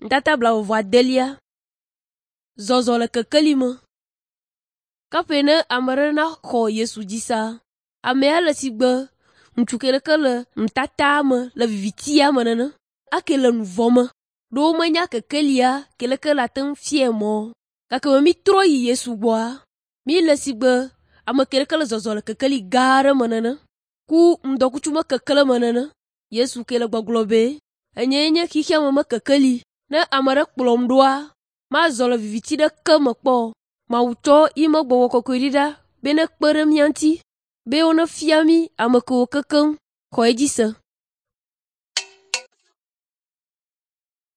Nutata blaeve-vɔ-adelia. Zɔzɔ le kekeli me. Kaƒe ne ame ɖe naxɔ Yesu dzi sea, amea le sigbe ŋutsu ke ɖeke le nutata me le vivitia me nene ake le nu vɔ̃ me. Ɖo womenya kekelia ke leke le ate ŋu fiae mɔ. Gake me mítrɔ yi Yesu gbɔa, míle sigbe ame ke ɖeke le zɔzɔ le kekeli gã aɖe me nene ku ŋdɔkutsu me kekle me nene. Yesu ke le gbɔgblɔ be, “Enyee nye xexea me kekeli. Ne ame ɖe kplɔm ɖoa, mazɔ le viviti ɖeke me kpɔ o. Mawu tsɔ yi me gbɔgbɔ kɔkɔe ɖi ɖa be nekpe ɖe mía ŋuti be wonefia mí ame kewo kekeŋ xɔ edzi se.